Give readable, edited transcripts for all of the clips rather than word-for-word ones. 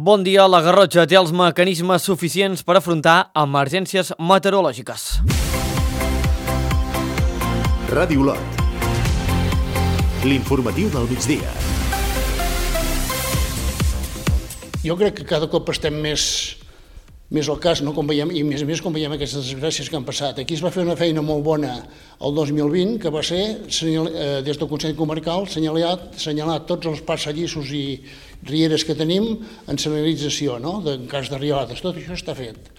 Bon dia, la Garrotxa té els mecanismes suficients per afrontar emergències meteorològiques. Ràdio Lot. L'informatiu del migdia. Jo crec que cada cop estem més al cas, no? Com veiem, i més a més com veiem aquestes desgràcies que han passat. Aquí es va fer una feina molt bona el 2020, que va ser, des del Consell Comarcal, assenyalar tots els passadissos i rieres que tenim en senyalització, no? En cas de rialades. Tot això està fet.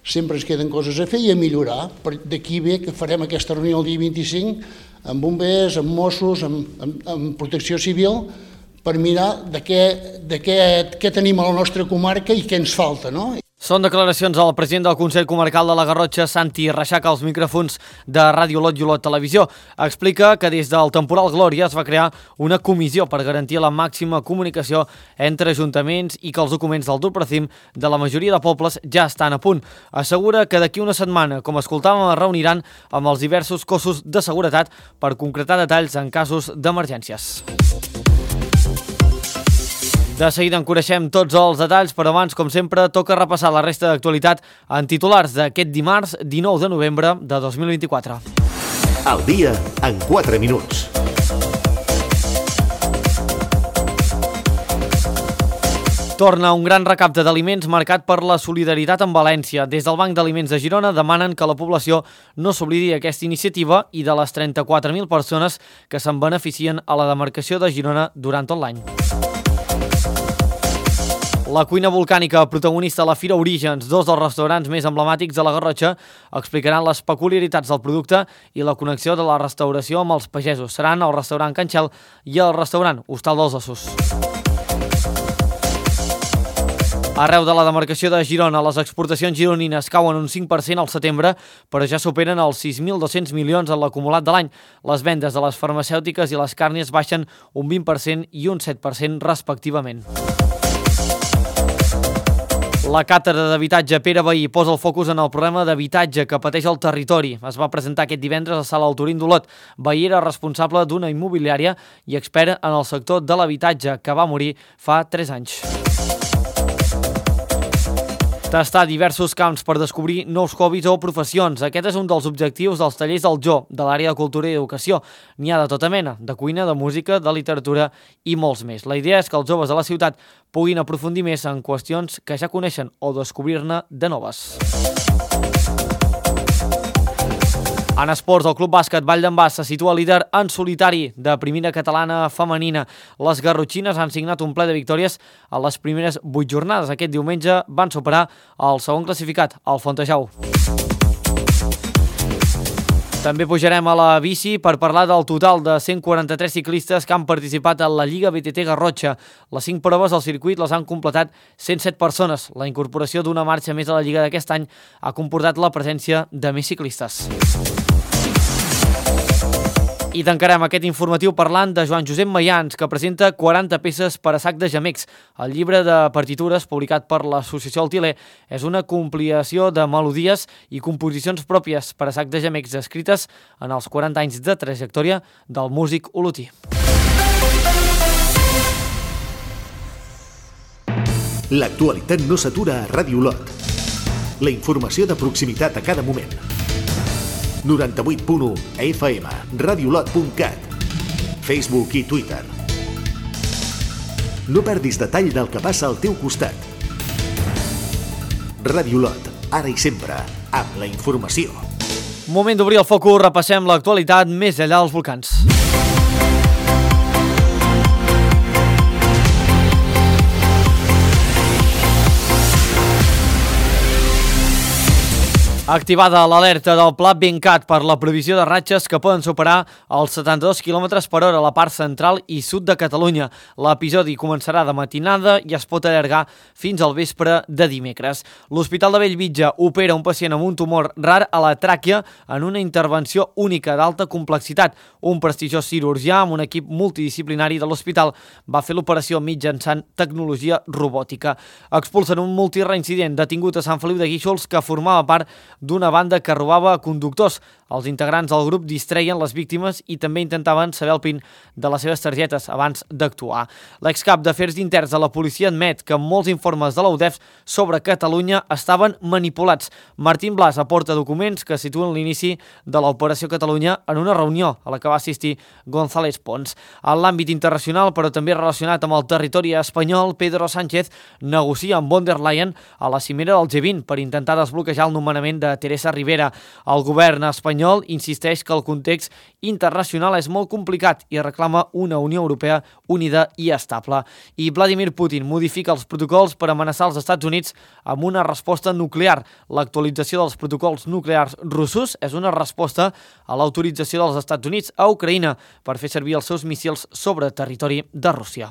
Sempre ens queden coses a fer i a millorar. D'aquí ve que farem aquesta reunió el dia 25 amb bombers, amb Mossos, amb protecció civil, per mirar de què tenim a la nostra comarca i què ens falta, no? Són declaracions del president del Consell Comarcal de la Garrotxa, Santi Reixac, als micròfons de Ràdio Lot i Olot Televisió. Explica que des del temporal Glòria es va crear una comissió per garantir la màxima comunicació entre ajuntaments i que els documents del Duprecim de la majoria de pobles ja estan a punt. Assegura que d'aquí una setmana, com escoltàvem, es reuniran amb els diversos cossos de seguretat per concretar detalls en casos d'emergències. De seguida en coneixem tots els detalls, però abans, com sempre, toca repassar la resta d'actualitat en titulars d'aquest dimarts 19 de novembre de 2024. Al dia en 4 minuts. Torna un gran recapte d'aliments marcat per la solidaritat amb València. Des del Banc d'Aliments de Girona demanen que la població no s'oblidi aquesta iniciativa i de les 34.000 persones que se'n beneficien a la demarcació de Girona durant tot l'any. La cuina volcànica, protagonista a la Fira Orígens, dos dels restaurants més emblemàtics de la Garrotxa, explicaran les peculiaritats del producte i la connexió de la restauració amb els pagesos. Seran el restaurant Can Xel i el restaurant Hostal dels Ossos. Arreu de la demarcació de Girona, les exportacions gironines cauen un 5% al setembre, però ja superen els 6.200 milions en l'acumulat de l'any. Les vendes de les farmacèutiques i les càrnies baixen un 20% i un 7% respectivament. La càtedra d'habitatge Pere Vehí posa el focus en el problema d'habitatge que pateix el territori. Es va presentar aquest divendres a la Sala Alturín d'Olot. Vehí era responsable d'una immobiliària i expert en el sector de l'habitatge, que va morir fa 3 anys. Tastar diversos camps per descobrir nous hobbies o professions. Aquest és un dels objectius dels tallers del Jo, de l'àrea de cultura i educació. N'hi ha de tota mena, de cuina, de música, de literatura i molts més. La idea és que els joves de la ciutat puguin aprofundir més en qüestions que ja coneixen o descobrir-ne de noves. En esports, el Club Bàsquet Vall d'en Bas se situa líder en solitari de primera catalana femenina. Les garrotxines han signat un ple de victòries a les primeres 8 jornades. Aquest diumenge van superar el segon classificat, el Fontejau. També pujarem a la bici per parlar del total de 143 ciclistes que han participat en la Lliga BTT Garrotxa. Les 5 proves del circuit les han completat 107 persones. La incorporació d'una marxa més a la Lliga d'aquest any ha comportat la presència de més ciclistes. I tancarem aquest informatiu parlant de Joan Josep Mayans, que presenta 40 peces per a sac de gemecs. El llibre de partitures, publicat per l'Associació Altiler, és una compilació de melodies i composicions pròpies per a sac de gemecs escrites en els 40 anys de trajectòria del músic olotí. L'actualitat no s'atura a Ràdio Lot. La informació de proximitat a cada moment. 98.1 FM, radiolot.cat, Facebook i Twitter. No perdis detall del que passa al teu costat. Ràdio Lot, ara i sempre, amb la informació. Moment d'obrir el focus, repassem l'actualitat més enllà dels volcans. Activada l'alerta del Pla Bencat per la previsió de ratxes que poden superar els 72 km per hora a la part central i sud de Catalunya. L'episodi començarà de matinada i es pot allargar fins al vespre de dimecres. L'Hospital de Bellvitge opera un pacient amb un tumor rar a la tràquea en una intervenció única d'alta complexitat. Un prestigiós cirurgià amb un equip multidisciplinari de l'hospital va fer l'operació mitjançant tecnologia robòtica. Expulsen un multireincident detingut a Sant Feliu de Guíxols que formava part d'una banda que robava conductors. Els integrants del grup distreien les víctimes i també intentaven saber el PIN de les seves targetes abans d'actuar. L'excap d'Afers Interns de la policia admet que molts informes de la UDEF sobre Catalunya estaven manipulats. Martín Blas aporta documents que situen l'inici de l'Operació Catalunya en una reunió a la que va assistir González Pons. En l'àmbit internacional, però també relacionat amb el territori espanyol, Pedro Sánchez negocia amb von der Leyen a la cimera del G20 per intentar desbloquejar el nomenament de Teresa Rivera. El govern espanyol insisteix que el context internacional és molt complicat i reclama una Unió Europea unida i estable. I Vladimir Putin modifica els protocols per amenaçar els Estats Units amb una resposta nuclear. L'actualització dels protocols nuclears russos és una resposta a l'autorització dels Estats Units a Ucraïna per fer servir els seus míssils sobre territori de Rússia.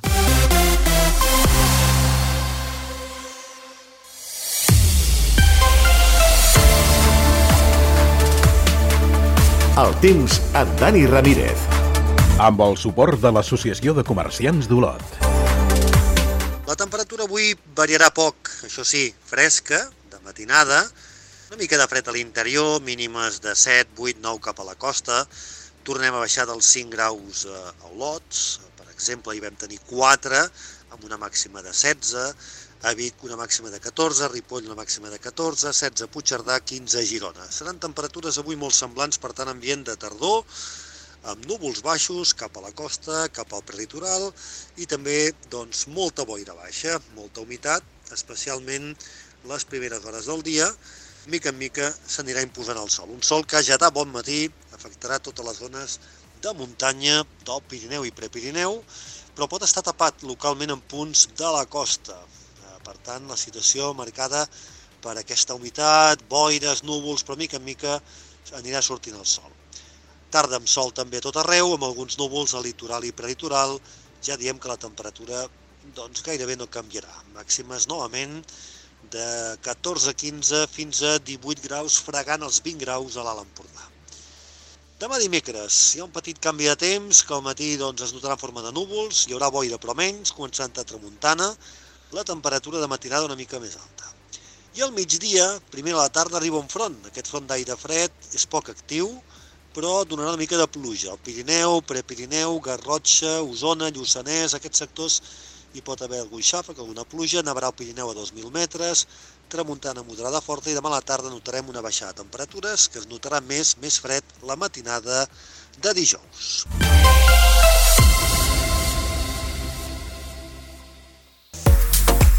El temps amb Dani Ramírez. Amb el suport de l'Associació de Comerciants d'Olot. La temperatura avui variarà poc, això sí, fresca, de matinada, una mica de fred a l'interior, mínimes de 7, 8, 9 cap a la costa. Tornem a baixar dels 5 graus a Olot, per exemple, hi vam tenir 4, amb una màxima de 16, a Vic una màxima de 14, a Ripoll una màxima de 14, 16 a Puigcerdà, 15 a Girona. Seran temperatures avui molt semblants, per tant, ambient de tardor, amb núvols baixos cap a la costa, cap al prelitoral i també doncs, molta boira baixa, molta humitat, especialment les primeres hores del dia. Mica en mica s'anirà imposant el sol. Un sol que ja de bon matí afectarà totes les zones de muntanya, del Pirineu i Prepirineu, però pot estar tapat localment en punts de la costa. Per tant, la situació marcada per aquesta humitat, boires, núvols, però mica en mica anirà sortint el sol. Tarda amb sol també a tot arreu, amb alguns núvols al litoral i prelitoral. Ja diem que la temperatura doncs, gairebé no canviarà. Màximes novament de 14-15 fins a 18 graus, fregant els 20 graus a l'Alt Empordà. Demà dimecres hi ha un petit canvi de temps, que al matí doncs, es notarà en forma de núvols, hi haurà boira però menys, començant a tramuntana, la temperatura de matinada una mica més alta. I al migdia, primer a la tarda, arriba un front. Aquest front d'aire fred és poc actiu, però donarà una mica de pluja. Al Pirineu, Prepirineu, Garrotxa, Osona, Lluçanès, aquests sectors hi pot haver algun xàfec, alguna pluja, nevarà al Pirineu a 2.000 metres, tramuntana moderada forta i demà a la tarda notarem una baixada de temperatures que es notarà més fred la matinada de dijous.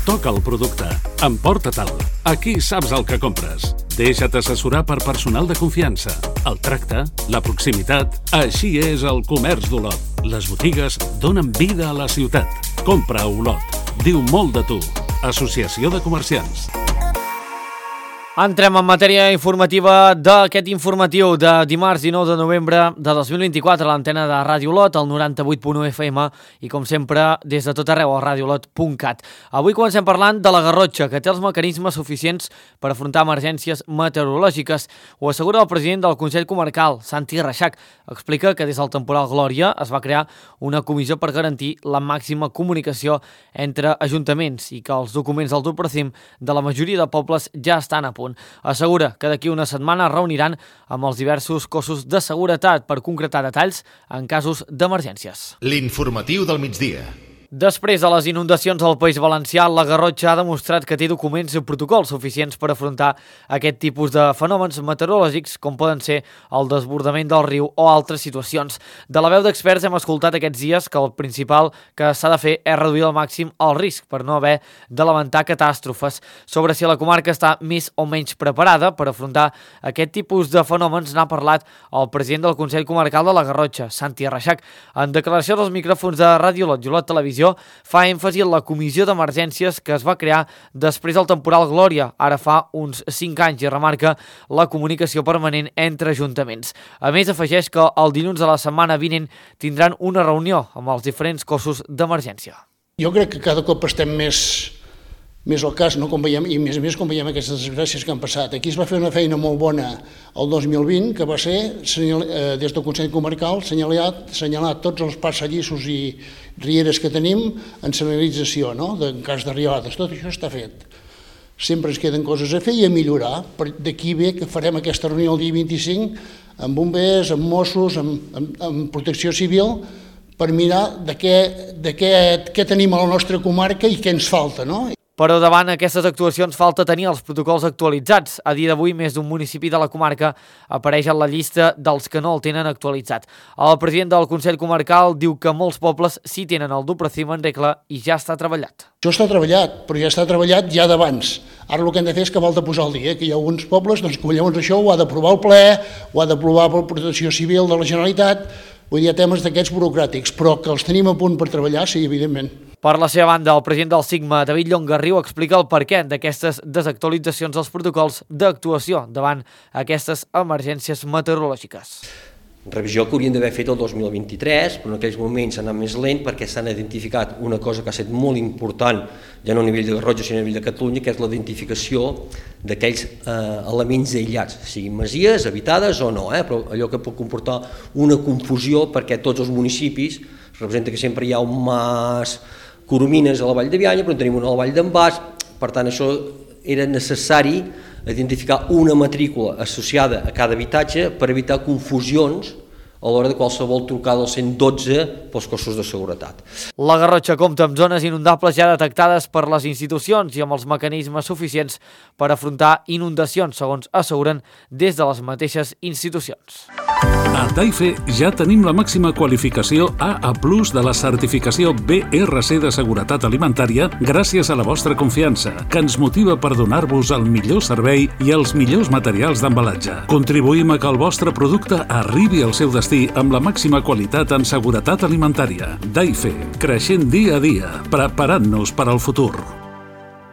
Toca el producte. Emporta-te'l. Aquí saps el que compres. Deixa't assessorar per personal de confiança. El tracte, la proximitat... Així és el comerç d'Olot. Les botigues donen vida a la ciutat. Compra a Olot. Diu molt de tu. Associació de Comerciants. Entrem en matèria informativa d'aquest informatiu de dimarts 19 de novembre de 2024 a l'antena de Ràdio Olot, al 98.1 FM i, com sempre, des de tot arreu a radioolot.cat. Avui comencem parlant de la Garrotxa, que té els mecanismes suficients per afrontar emergències meteorològiques. Ho assegura el president del Consell Comarcal, Santi Reixac. Explica que des del temporal Glòria es va crear una comissió per garantir la màxima comunicació entre ajuntaments i que els documents del Turprocim de la majoria de pobles ja estan a punt. Assegura que d'aquí una setmana es reuniran amb els diversos cossos de seguretat per concretar detalls en casos d'emergències. L'informatiu del migdia. Després de les inundacions al País Valencià, la Garrotxa ha demostrat que té documents i protocols suficients per afrontar aquest tipus de fenòmens meteorològics, com poden ser el desbordament del riu o altres situacions. De la veu d'experts hem escoltat aquests dies que el principal que s'ha de fer és reduir al màxim el risc per no haver de lamentar catàstrofes. Sobre si la comarca està més o menys preparada per afrontar aquest tipus de fenòmens n'ha parlat el president del Consell Comarcal de la Garrotxa, Santi Reixac. En declaració dels micròfons de Ràdio Olot i Olot Televisió, fa èmfasi en la comissió d'emergències que es va crear després del temporal Glòria, ara fa uns 5 anys, i remarca la comunicació permanent entre ajuntaments. A més, afegeix que el dilluns de la setmana vinent tindran una reunió amb els diferents cossos d'emergència. Jo crec que cada cop estem més al cas, no? Com veiem, i a més com veiem aquestes desgràcies que han passat. Aquí es va fer una feina molt bona el 2020, que va ser, des del Consell Comarcal, assenyalar tots els passadissos i rieres que tenim en senyalització, no? En cas d'arribades. Tot això està fet. Sempre ens queden coses a fer i a millorar. D'aquí ve que farem aquesta reunió el dia 25 amb bombers, amb Mossos, amb protecció civil, per mirar de què tenim a la nostra comarca i què ens falta, no? Però davant aquestes actuacions falta tenir els protocols actualitzats. A dia d'avui, més d'un municipi de la comarca apareix en la llista dels que no el tenen actualitzat. El president del Consell Comarcal diu que molts pobles sí tenen el Duprocim en regla i ja està treballat. Això està treballat, però ja està treballat ja d'abans. Ara el que hem de fer és que vol de posar al dia, que hi ha alguns pobles que llavors això ho ha d'aprovar el ple, ho ha d'aprovar la Protecció Civil de la Generalitat, vull dir, temes d'aquests burocràtics, però que els tenim a punt per treballar, sí, evidentment. Per la seva banda, el president del SIGMA, David Llongarriu, explica el perquè d'aquestes desactualitzacions dels protocols d'actuació davant aquestes emergències meteorològiques. Revisió que haurien d'haver fet el 2023, però en aquells moments s'ha anat més lent perquè s'han identificat una cosa que ha estat molt important, ja no a nivell de Garrotxa, sinó a nivell de Catalunya, que és la identificació d'aquells elements aïllats, siguin masies, habitades o no, però allò que pot comportar una confusió perquè tots els municipis representa que sempre hi ha un mas Coromines a la Vall de Bianya, però en tenim una a la Vall d'en Bas, per tant això era necessari identificar una matrícula associada a cada habitatge per evitar confusions a l'hora de qualsevol trucada al 112 pels cossos de seguretat. La Garrotxa compta amb zones inundables ja detectades per les institucions i amb els mecanismes suficients per afrontar inundacions, segons asseguren des de les mateixes institucions. A Taife ja tenim la màxima qualificació AA+ de la certificació BRC de seguretat alimentària gràcies a la vostra confiança, que ens motiva per donar-vos el millor servei i els millors materials d'embalatge. Contribuïm a que el vostre producte arribi al seu destí amb la màxima qualitat en seguretat alimentària. Taife, creixent dia a dia, preparant-nos per al futur.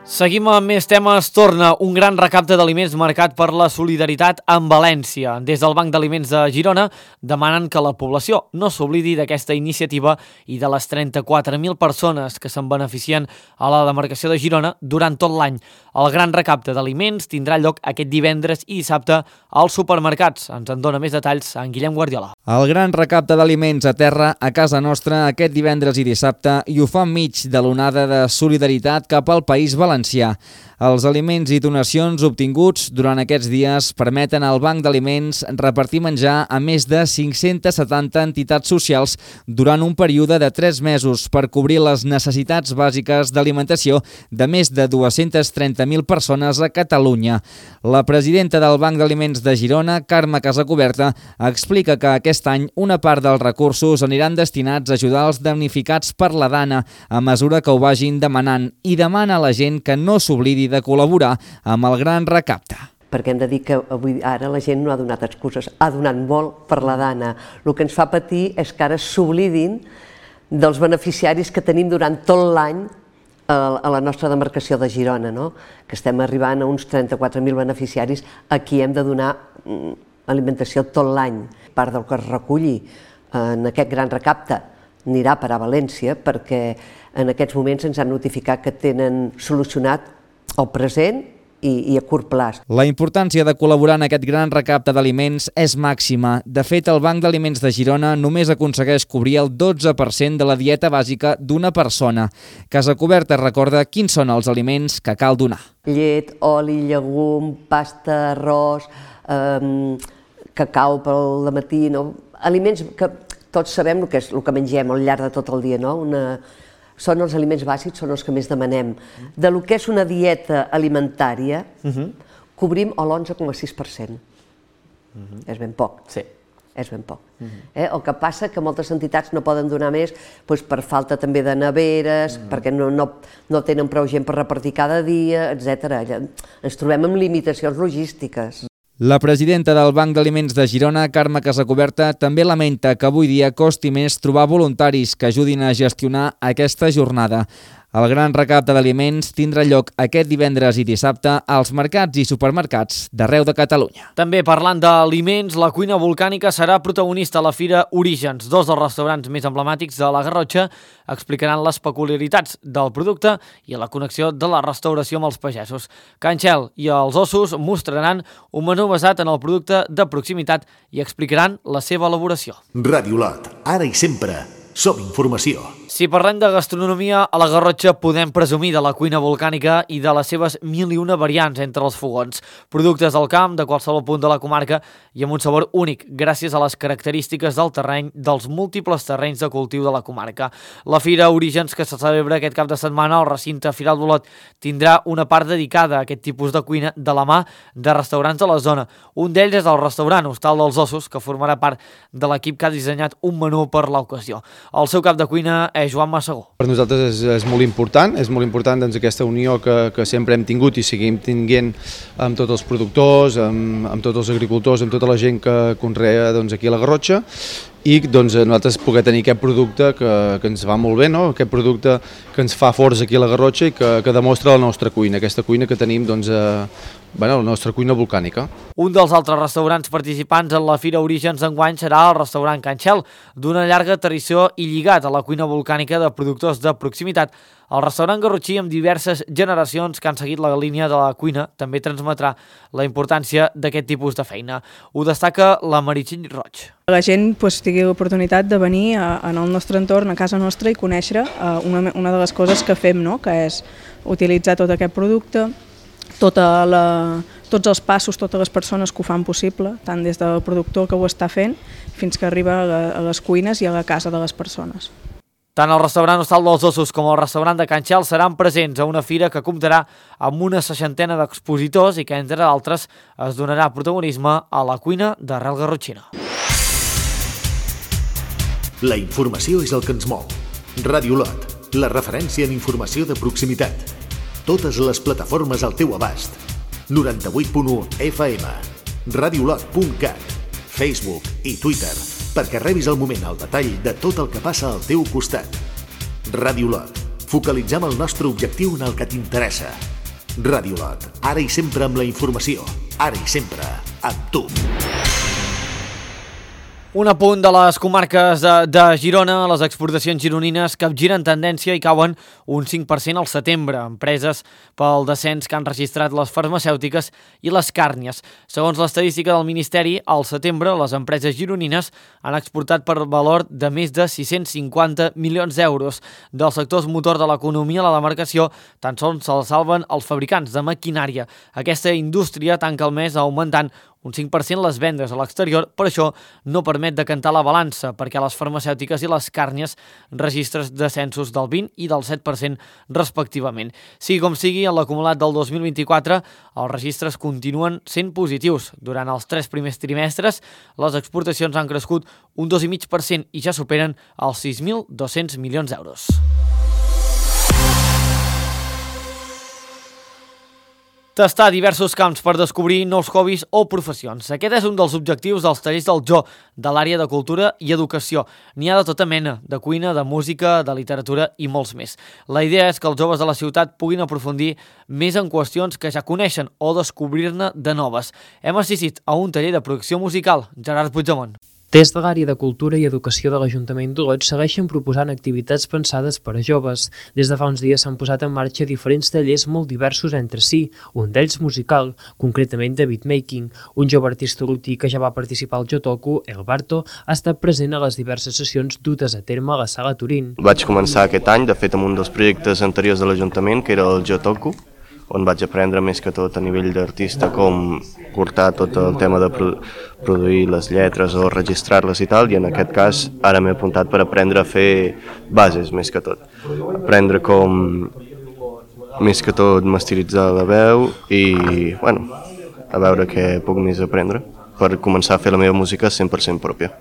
Seguim amb més temes. Torna un gran recapte d'aliments marcat per la solidaritat amb València. Des del Banc d'Aliments de Girona demanen que la població no s'oblidi d'aquesta iniciativa i de les 34.000 persones que se'n beneficien a la demarcació de Girona durant tot l'any. El gran recapte d'aliments tindrà lloc aquest divendres i dissabte als supermercats. Ens en dona més detalls en Guillem Guardiola. El gran recapte d'aliments a terra a casa nostra aquest divendres i dissabte i ho fa enmig de l'onada de solidaritat cap al País Valencià. Els aliments i donacions obtinguts durant aquests dies permeten al Banc d'Aliments repartir menjar a més de 570 entitats socials durant un període de 3 mesos per cobrir les necessitats bàsiques d'alimentació de més de 230.000 persones a Catalunya. La presidenta del Banc d'Aliments de Girona, Carme Casacuberta, explica que aquest any una part dels recursos aniran destinats a ajudar els damnificats per la dana a mesura que ho vagin demanant i demana a la gent que no s'oblidi de col·laborar amb el gran recapte. Perquè hem de dir que avui ara la gent no ha donat excuses, ha donat molt per la dana. El que ens fa patir és que ara s'oblidin dels beneficiaris que tenim durant tot l'any a la nostra demarcació de Girona, no? Que estem arribant a uns 34.000 beneficiaris a qui hem de donar alimentació tot l'any. Part del que es reculli en aquest gran recapte anirà a parar a València perquè en aquests moments ens han notificat que tenen solucionat el present i a curt plaç. La importància de col·laborar en aquest gran recapte d'aliments és màxima. De fet, el Banc d'Aliments de Girona només aconsegueix cobrir el 12% de la dieta bàsica d'una persona. Casacuberta recorda quins són els aliments que cal donar. Llet, oli, llegum, pasta, arròs, cacau pel matí, no? Aliments que tots sabem el que és el que mengem al llarg de tot el dia, no? Són els aliments bàsics, són els que més demanem. De lo que és una dieta alimentària, cobrim l'11,6%. És ben poc. Sí. És ben poc. El que passa que moltes entitats no poden donar més per falta també de neveres, perquè no tenen prou gent per repartir cada dia, etc. Ens trobem amb limitacions logístiques. La presidenta del Banc d'Aliments de Girona, Carme Casacuberta, també lamenta que avui dia costi més trobar voluntaris que ajudin a gestionar aquesta jornada. El gran recapte d'aliments tindrà lloc aquest divendres i dissabte als mercats i supermercats d'arreu de Catalunya. També parlant d'aliments, la cuina volcànica serà protagonista a la Fira Orígens. Dos dels restaurants més emblemàtics de la Garrotxa explicaran les peculiaritats del producte i la connexió de la restauració amb els pagesos. Can Xel i els Ossos mostraran un menú basat en el producte de proximitat i explicaran la seva elaboració. Ràdio Lot, ara i sempre, Som informació. Si parlem de gastronomia, a la Garrotxa podem presumir de la cuina volcànica i de les seves 1001 variants entre els fogons. Productes del camp, de qualsevol punt de la comarca i amb un sabor únic, gràcies a les característiques del terreny, dels múltiples terrenys de cultiu de la comarca. La Fira Orígens, que se celebra aquest cap de setmana al recinte Firal d'Olot, tindrà una part dedicada a aquest tipus de cuina de la mà de restaurants de la zona. Un d'ells és el restaurant Hostal dels Ossos, que formarà part de l'equip que ha dissenyat un menú per l'ocasió. El seu cap de cuina és Joan Massagó. Per nosaltres és molt important doncs, aquesta unió que sempre hem tingut i seguim tinguent amb tots els productors, amb tots els agricultors, amb tota la gent que conrea doncs, aquí a la Garrotxa, i doncs, nosaltres poder tenir aquest producte que ens va molt bé, no? Aquest producte que ens fa forts aquí a la Garrotxa i que demostra la nostra cuina, aquesta cuina que tenim doncs, la nostra cuina volcànica. Un dels altres restaurants participants en la Fira Orígens d'enguany serà el restaurant Can Xel, d'una llarga tradició i lligat a la cuina volcànica de productors de proximitat. El restaurant garrotxí, amb diverses generacions que han seguit la línia de la cuina, també transmetrà la importància d'aquest tipus de feina. Ho destaca la Meritxell Roig. La gent tingui l'oportunitat de venir en el nostre entorn, a casa nostra, i conèixer una de les coses que fem, no? Que és utilitzar tot aquest producte, tots els passos, totes les persones que ho fan possible, tant des del productor que ho està fent fins que arriba a les cuines i a la casa de les persones. Tant el restaurant Hostal dels Ossos com el restaurant de Can Xel seran presents a una fira que comptarà amb una 60 d'expositors i que, entre d'altres, es donarà protagonisme a la cuina d'arrel garrotxina. La informació és el que ens mou. Ràdio Olot, la referència en informació de proximitat. Totes les plataformes al teu abast. 98.1 FM, radiolot.cat, Facebook i Twitter, perquè rebis al moment el detall de tot el que passa al teu costat. Ràdio Olot, focalitzem el nostre objectiu en el que t'interessa. Ràdio Olot, ara i sempre amb la informació, ara i sempre amb tu. Un apunt de les comarques de Girona, les exportacions gironines capgiren tendència i cauen un 5% al setembre, empreses pel descens que han registrat les farmacèutiques i les càrnies. Segons l'estadística del Ministeri, al setembre les empreses gironines han exportat per valor de més de 650 milions d'euros. Dels sectors motor de l'economia a la demarcació, tan sols se'ls salven els fabricants de maquinària. Aquesta indústria tanca el mes augmentant un 5% les vendes a l'exterior, per això no permet decantar la balança, perquè les farmacèutiques i les càrnies registren descensos del 20 i del 7% respectivament. Sigui com sigui, en l'acumulat del 2024, els registres continuen sent positius. Durant els 3 primers trimestres, les exportacions han crescut un 2,5% i ja superen els 6.200 milions d'euros. Tastar diversos camps per descobrir nous hobbies o professions. Aquest és un dels objectius dels tallers del Jo, de l'àrea de cultura i educació. N'hi ha de tota mena, de cuina, de música, de literatura i molts més. La idea és que els joves de la ciutat puguin aprofundir més en qüestions que ja coneixen o descobrir-ne de noves. Hem assistit a un taller de producció musical. Gerard Puigdemont. Des de l'àrea de Cultura i Educació de l'Ajuntament d'Olot segueixen proposant activitats pensades per a joves. Des de fa uns dies s'han posat en marxa diferents tallers molt diversos entre si, un d'ells musical, concretament de beatmaking. Un jove artista olotí que ja va participar al Jotoku, el Barto, ha estat present a les diverses sessions dutes a terme a la Sala Turín. Vaig començar aquest any, de fet, amb un dels projectes anteriors de l'Ajuntament, que era el Jotoku, on vaig aprendre més que tot a nivell d'artista com portar tot el tema de produir les lletres o registrar-les i tal, i en aquest cas ara m'he apuntat per aprendre a fer bases més que tot. Aprendre com més que tot masteritzar la veu i, bueno, a veure què puc més aprendre per començar a fer la meva música 100% pròpia.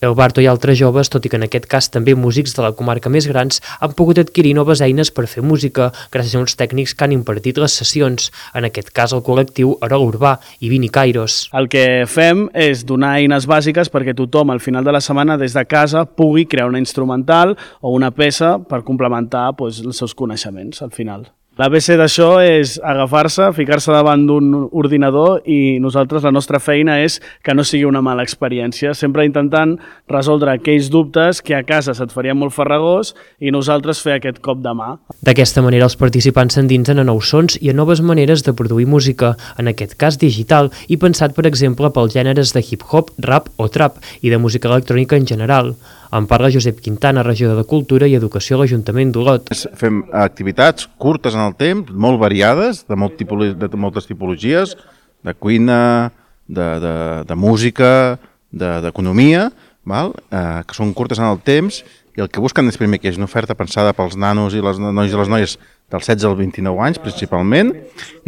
El Barto i altres joves, tot i que en aquest cas també músics de la comarca més grans, han pogut adquirir noves eines per fer música gràcies a uns tècnics que han impartit les sessions, en aquest cas el col·lectiu Arol Urbà i Vini Kairos. El que fem és donar eines bàsiques perquè tothom al final de la setmana des de casa pugui crear una instrumental o una peça per complementar els seus coneixements al final. L'ABC d'això és agafar-se, ficar-se davant d'un ordinador i nosaltres la nostra feina és que no sigui una mala experiència, sempre intentant resoldre aquells dubtes que a casa se't farien molt farragós i nosaltres fer aquest cop de mà. D'aquesta manera els participants s'endinsen a nous sons i a noves maneres de produir música, en aquest cas digital, i pensat per exemple pels gèneres de hip-hop, rap o trap i de música electrònica en general. En parla Josep Quintana, regidor de Cultura i Educació a l'Ajuntament d'Olot. Fem activitats curtes en el temps, molt variades, de moltes tipologies, de cuina, de música, d'economia, que són curtes en el temps, i el que busquen és primer que hi hagi una oferta pensada pels nanos i les nois i les noies dels 16 als 29 anys, principalment,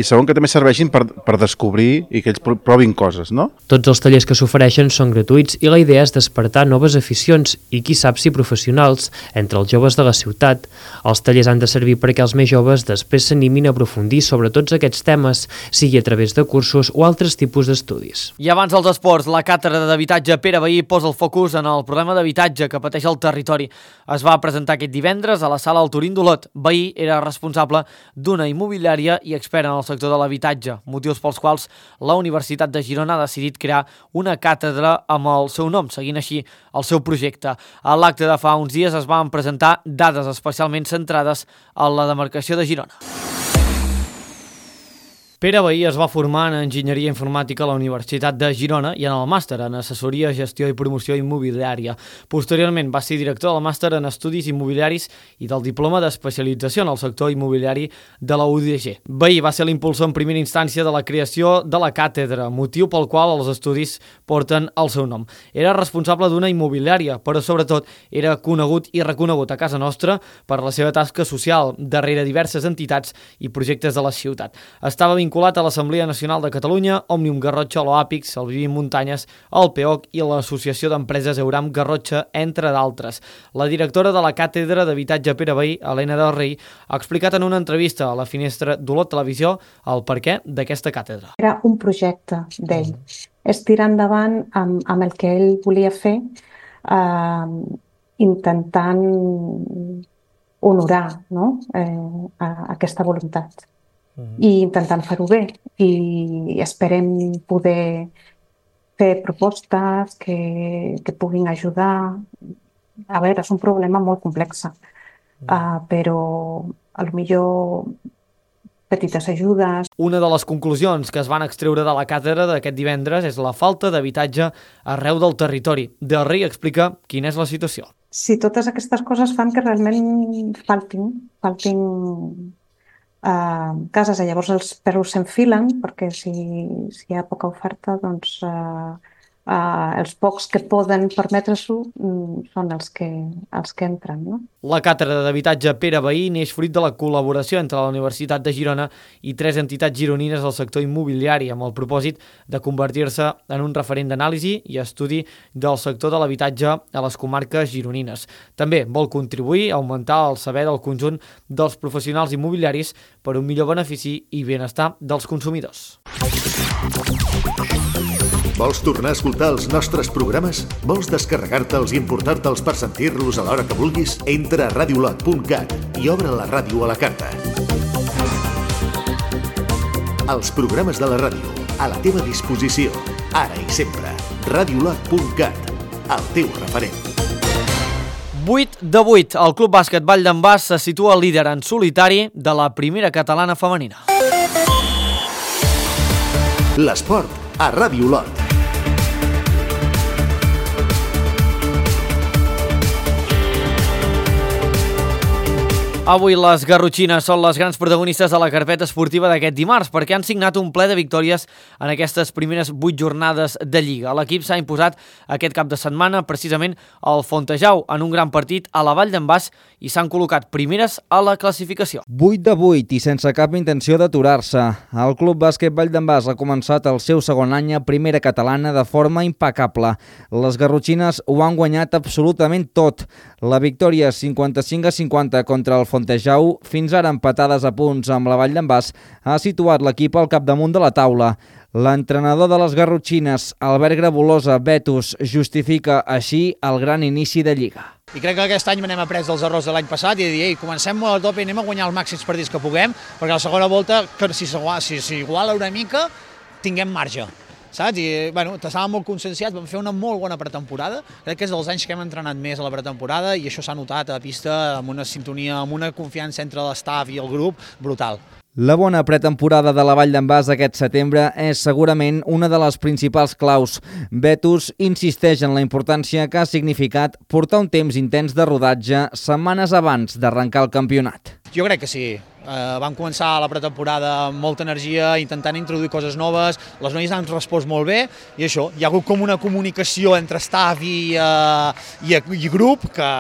i segon, que també serveixin per descobrir i que ells provin coses, no? Tots els tallers que s'ofereixen són gratuïts i la idea és despertar noves aficions i, qui sap si professionals, entre els joves de la ciutat. Els tallers han de servir perquè els més joves després s'animin a aprofundir sobre tots aquests temes, sigui a través de cursos o altres tipus d'estudis. I abans dels esports, la càtedra d'habitatge Pere Vehí posa el focus en el problema d'habitatge que pateix el territori. Es va presentar aquest divendres a la sala El Turín d'Olot. Vehí era responsable d'una immobiliària i expert en el sector de l'habitatge, motius pels quals la Universitat de Girona ha decidit crear una càtedra amb el seu nom, seguint així el seu projecte. A l'acte de fa uns dies es van presentar dades especialment centrades en la demarcació de Girona. Pere Vehí es va formar en Enginyeria Informàtica a la Universitat de Girona i en el màster en Assessoria, Gestió i Promoció Immobiliària. Posteriorment va ser director del màster en Estudis Immobiliaris i del diploma d'especialització en el sector immobiliari de la UDG. Vehí va ser l'impulsor en primera instància de la creació de la càtedra, motiu pel qual els estudis porten el seu nom. Era responsable d'una immobiliària, però sobretot era conegut i reconegut a casa nostra per la seva tasca social darrere diverses entitats i projectes de la ciutat. Estava vinculat a l'Assemblea Nacional de Catalunya, Òmnium Garrotxa, l'OAPIC, el Vivim Muntanyes, el PEOC i l'Associació d'Empreses Euram Garrotxa, entre d'altres. La directora de la Càtedra d'Habitatge Pere Vehí, Helena del Rei, ha explicat en una entrevista a la Finestra d'Olot Televisió el perquè d'aquesta càtedra. Era un projecte d'ell. És tirar endavant amb el que ell volia fer, intentant honorar, no? Aquesta voluntat. I intentant fer-ho bé, i esperem poder fer propostes que puguin ajudar. A veure, és un problema molt complex, però potser petites ajudes. Una de les conclusions que es van extreure de la càtedra d'aquest divendres és la falta d'habitatge arreu del territori. Del Rei explica quina és la situació. Si totes aquestes coses fan que realment faltin cases, llavors els preus s'enfilen, perquè si hi ha poca oferta, doncs els pocs que poden permetre-s'ho són els que entren, no? La càtedra d'habitatge Pere Vehí neix fruit de la col·laboració entre la Universitat de Girona i 3 entitats gironines del sector immobiliari, amb el propòsit de convertir-se en un referent d'anàlisi i estudi del sector de l'habitatge a les comarques gironines. També vol contribuir a augmentar el saber del conjunt dels professionals immobiliaris per un millor benefici i benestar dels consumidors. Vols tornar a escoltar els nostres programes? Vols descarregar-te'ls i importar-te'ls per sentir-los a l'hora que vulguis? Entra a radiolot.cat i obre la ràdio a la carta. Els programes de la ràdio, a la teva disposició, ara i sempre. Radiolot.cat, el teu referent. 8 de 8, el Club Bàsquet Vall d'en Bas se situa líder en solitari de la primera catalana femenina. L'esport a Ràdio Olot. Avui les garrotxines són les grans protagonistes de la carpeta esportiva d'aquest dimarts perquè han signat un ple de victòries en aquestes primeres 8 jornades de Lliga. L'equip s'ha imposat aquest cap de setmana precisament al Fontejau en un gran partit a la Vall d'en Bas i s'han col·locat primeres a la classificació. 8 de 8 i sense cap intenció d'aturar-se. El Club Bàsquet Vall d'en Bas ha començat el seu segon any a primera catalana de forma impecable. Les garrotxines ho han guanyat absolutament tot. La victòria 55-50 contra el Fontejau, fins ara empatades a punts amb la Vall d'en Bas, ha situat l'equip al capdamunt de la taula. L'entrenador de les garrotxines, Albert Grabolosa Betus, justifica així el gran inici de Lliga. I crec que aquest any n'hem après dels errors de l'any passat i de dir, comencem molt a tope i anem a guanyar els màxims partits que puguem, perquè a la segona volta, si s'iguala una mica, tinguem marge. Saps? I, estàvem molt conscienciats, vam fer una molt bona pretemporada, crec que és dels anys que hem entrenat més a la pretemporada i això s'ha notat a la pista amb una sintonia, amb una confiança entre l'estaf i el grup brutal. La bona pretemporada de la Vall d'en Bas aquest setembre és segurament una de les principals claus. Betus insisteix en la importància que ha significat portar un temps intens de rodatge setmanes abans d'arrencar el campionat. Jo crec que sí. Vam començar la pretemporada amb molta energia, intentant introduir coses noves, les noies han respost molt bé i això, hi ha hagut com una comunicació entre staff i grup que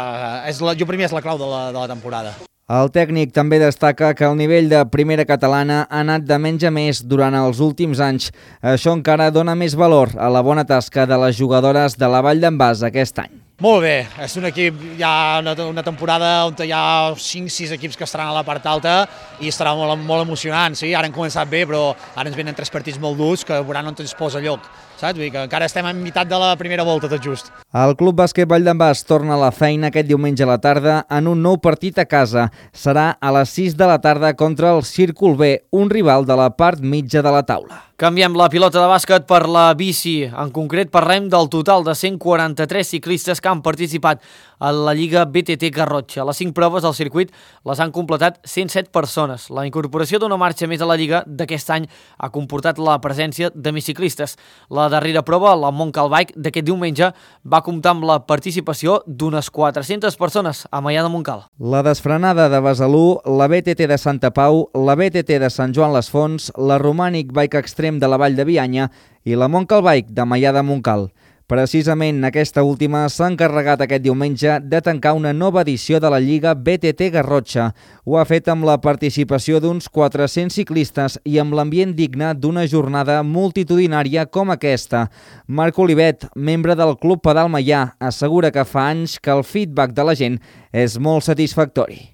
jo per mi és la clau de la temporada. El tècnic també destaca que el nivell de primera catalana ha anat de menys a més durant els últims anys. Això encara dona més valor a la bona tasca de les jugadores de la Vall d'en Bas aquest any. Molt bé, és un equip, hi ha una temporada on hi ha 5-6 equips que estaran a la part alta i estarà molt emocionant, sí? Ara hem començat bé, però ara ens venen 3 partits molt durs que veuran on ens posa lloc, saps? Vull dir que encara estem en meitat de la primera volta, tot just. El Club Bàsquet Vall d'en Bas torna a la feina aquest diumenge a la tarda en un nou partit a casa. Serà a les 6 de la tarda contra el Círcul B, un rival de la part mitja de la taula. Canviem la pilota de bàsquet per la bici. En concret parlem del total de 143 ciclistes que han participat a la Lliga BTT Garrotxa. Les 5 proves del circuit les han completat 107 persones. La incorporació d'una marxa més a la Lliga d'aquest any ha comportat la presència de més ciclistes. La darrera prova, la Montcal Bike, d'aquest diumenge, va comptar amb la participació d'unes 400 persones a Maià de Montcal. La desfrenada de Besalú, la BTT de Santa Pau, la BTT de Sant Joan les Fonts, la Romànic Bike Extreme de la Vall de Bianya i la Montcal Bike de Maià de Montcal. Precisament aquesta última s'ha encarregat aquest diumenge de tancar una nova edició de la Lliga BTT Garrotxa. Ho ha fet amb la participació d'uns 400 ciclistes i amb l'ambient digne d'una jornada multitudinària com aquesta. Marc Olivet, membre del Club Pedal Maià, assegura que fa anys que el feedback de la gent és molt satisfactori.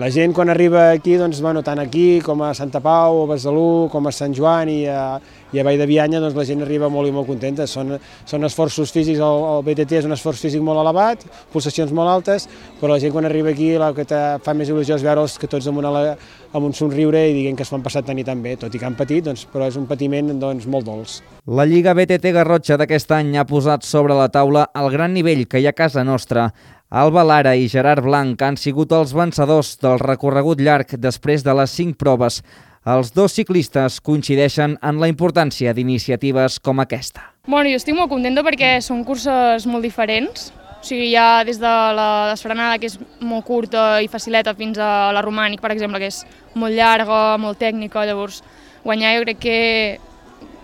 La gent quan arriba aquí, doncs, tant aquí com a Santa Pau, a Besalú, com a Sant Joan i a Vall de Bianya, doncs, la gent arriba molt i molt contenta. Són esforços físics, el BTT és un esforç físic molt elevat, pulsacions molt altes, però la gent quan arriba aquí el que fa més il·lusió és veure'ls que tots amb un somriure i dient que es han passat tan i tan bé, tot i que han patit, però és un patiment molt dolç. La Lliga BTT Garrotxa d'aquest any ha posat sobre la taula el gran nivell que hi ha a casa nostra. Alba Lara i Gerard Blanc han sigut els vencedors del recorregut llarg després de les 5 proves. Els dos ciclistes coincideixen en la importància d'iniciatives com aquesta. Jo estic molt contenta perquè són curses molt diferents. O sigui, hi ha des de la desfrenada, que és molt curta i facileta, fins a la Romànic, per exemple, que és molt llarga, molt tècnica. Llavors, guanyar jo crec que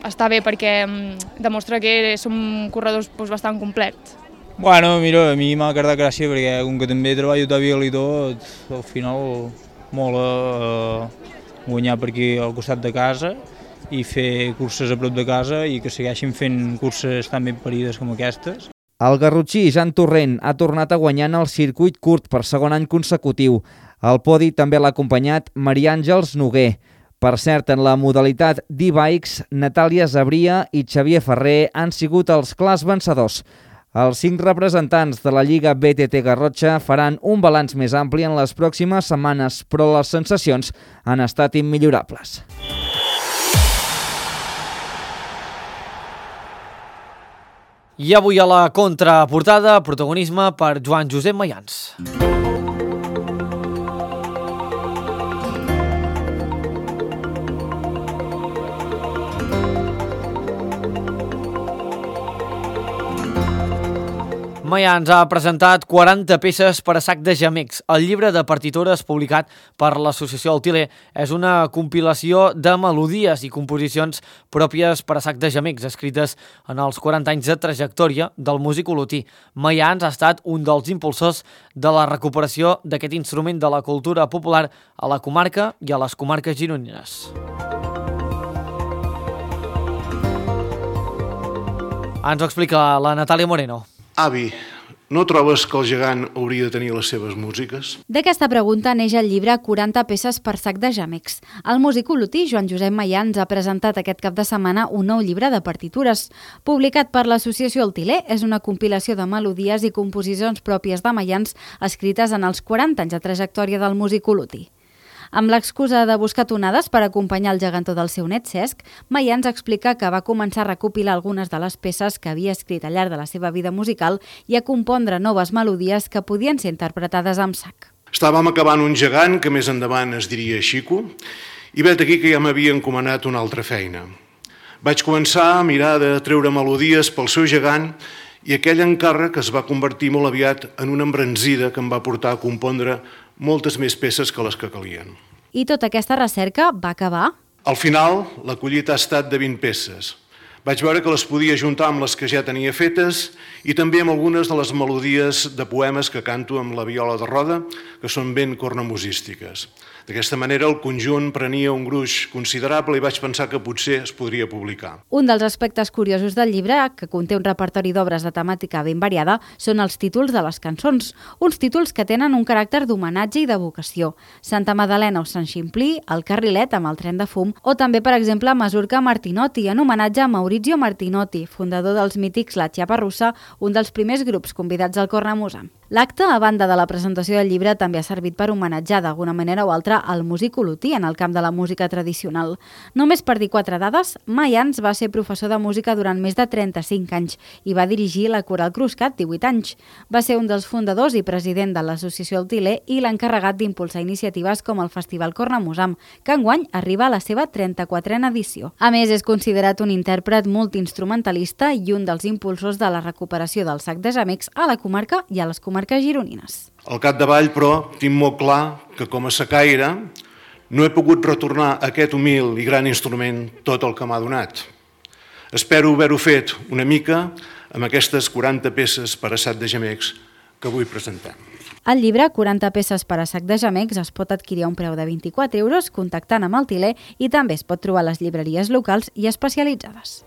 està bé perquè demostra que som corredors bastant complets. Mira, a mi m'ha quedat gràcia perquè com que també treballo a Vil i tot, al final mola guanyar per aquí al costat de casa i fer curses a prop de casa i que segueixin fent curses tan ben parides com aquestes. El garrotxí Jan Torrent ha tornat a guanyar en el circuit curt per segon any consecutiu. Al podi també l'ha acompanyat Maria Àngels Noguer. Per cert, en la modalitat d'e-bikes, Natàlia Zabria i Xavier Ferrer han sigut els clars vencedors. Els 5 representants de la Lliga BTT Garrotxa faran un balanç més ampli en les pròximes setmanes, però les sensacions han estat immillorables. I avui a la contraportada, protagonisme per Joan Josep Mayans. Mayans ha presentat 40 peces per a sac de gemecs. El llibre de partitures publicat per l'Associació Altiler és una compilació de melodies i composicions pròpies per a sac de gemecs, escrites en els 40 anys de trajectòria del músic olotí. Mayans ha estat un dels impulsors de la recuperació d'aquest instrument de la cultura popular a la comarca i a les comarques gironines. Ens ho explica la Natàlia Moreno. Avi, no trobes que el gegant hauria de tenir les seves músiques? D'aquesta pregunta neix el llibre 40 peces per sac de gemecs. El músic olotí Joan Josep Mayans ha presentat aquest cap de setmana un nou llibre de partitures. Publicat per l'Associació Altiler, és una compilació de melodies i composicions pròpies de Mayans escrites en els 40 anys de trajectòria del músic olotí. Amb l'excusa de buscar tonades per acompanyar el gegantó del seu net Cesc, Mayans explica que va començar a recopilar algunes de les peces que havia escrit al llarg de la seva vida musical i a compondre noves melodies que podien ser interpretades amb sac. Estàvem acabant un gegant que més endavant es diria Xico I vet aquí que ja m'havia encomanat una altra feina. Vaig començar a mirar de treure melodies pel seu gegant i aquell encàrrec es va convertir molt aviat en una embranzida que em va portar a compondre moltes més peces que les que calien. I tota aquesta recerca va acabar? Al final, la collita ha estat de 20 peces. Vaig veure que les podia juntar amb les que ja tenia fetes i també amb algunes de les melodies de poemes que canto amb la viola de roda, que són ben cornamusístiques. D'aquesta manera, el conjunt prenia un gruix considerable i vaig pensar que potser es podria publicar. Un dels aspectes curiosos del llibre, que conté un repertori d'obres de temàtica ben variada, són els títols de les cançons, uns títols que tenen un caràcter d'homenatge i de vocació. Santa Madalena o Sant Ximplí, El Carrilet amb el tren de fum, o també, per exemple, Masurca Martinotti, en homenatge a Maurizio Martinotti, fundador dels mítics La Chiapa Russa, un dels primers grups convidats al Cornamusa. L'acte, a banda de la presentació del llibre, també ha servit per homenatjar d'alguna manera o altra el músic olotí en el camp de la música tradicional. Només per dir 4 dades, Mayans va ser professor de música durant més de 35 anys i va dirigir la Coral Cruscat 18 anys. Va ser un dels fundadors i president de l'Associació Tilè i l'encarregat d'impulsar iniciatives com el Festival Cornamusam, que enguany arriba a la seva 34a edició. A més, és considerat un intèrpret multiinstrumentalista i un dels impulsors de la recuperació del sac de gemecs a la comarca i a les comarques gironines. Al capdavall, però, tinc molt clar que com a sacaire no he pogut retornar a aquest humil i gran instrument tot el que m'ha donat. Espero haver-ho fet una mica amb aquestes 40 peces per a sac de gemecs que avui presentem. El llibre 40 peces per a sac de gemecs es pot adquirir a un preu de 24 euros contactant amb el Tilè i també es pot trobar a les llibreries locals i especialitzades.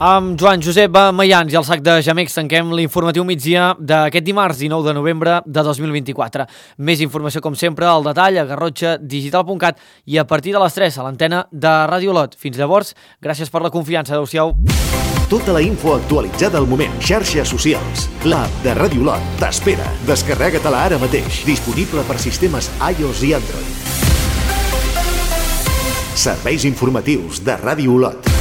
Amb Joan Josep Mayans i el sac de gemecs tanquem l'informatiu migdia d'aquest dimarts 19 de novembre de 2024. Més informació, com sempre, al detall a garrotxadigital.cat i a partir de les 3 a l'antena de Ràdio Olot. Fins llavors, gràcies per la confiança. Adéu-siau. Tota la info actualitzada al moment. Xarxes socials. L'app de Ràdio Olot t'espera. Descarrega-te-la ara mateix. Disponible per sistemes iOS i Android. Serveis informatius de Ràdio Olot.